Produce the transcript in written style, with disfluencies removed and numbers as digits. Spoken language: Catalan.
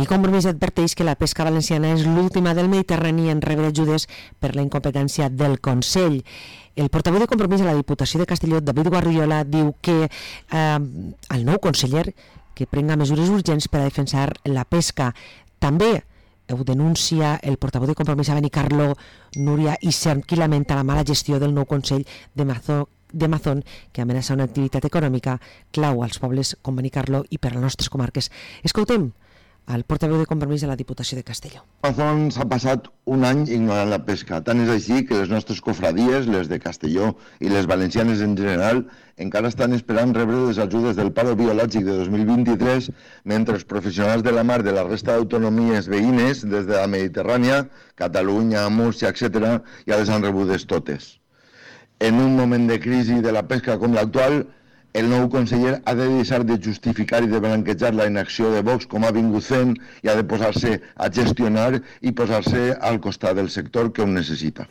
Compromís adverteix que la pesca valenciana és l'última del Mediterrani en rebre ajudes per la incompetència del Consell. El portaveu de Compromís a la Diputació de Castelló, David Guardiola, diu que el nou conseller que prenga mesures urgents per a defensar la pesca. També ho denuncia el portaveu de Compromís a Benicarló, Núria Isern, qui lamenta la mala gestió del nou Consell de Mazón, que amenaça una activitat econòmica clau als pobles com Benicarló i per a les nostres comarques. Escoltem al portaveu de Compromís de la Diputació de Castelló. Mazón s'ha passat un any ignorant la pesca. Tant és així que les nostres cofradies, les de Castelló i les valencianes en general, encara estan esperant rebre les ajudes del paro biològic de 2023, mentre els professionals de la mar de la resta d'autonomies veïnes, des de la Mediterrània, Catalunya, Múrcia, etc., ja les han rebudes totes. En un moment de crisi de la pesca com l'actual, el nou conseller ha de deixar de justificar i de blanquejar la inacció de Vox com ha vingut fent i ha de posar-se a gestionar i posar-se al costat del sector que ho necessita.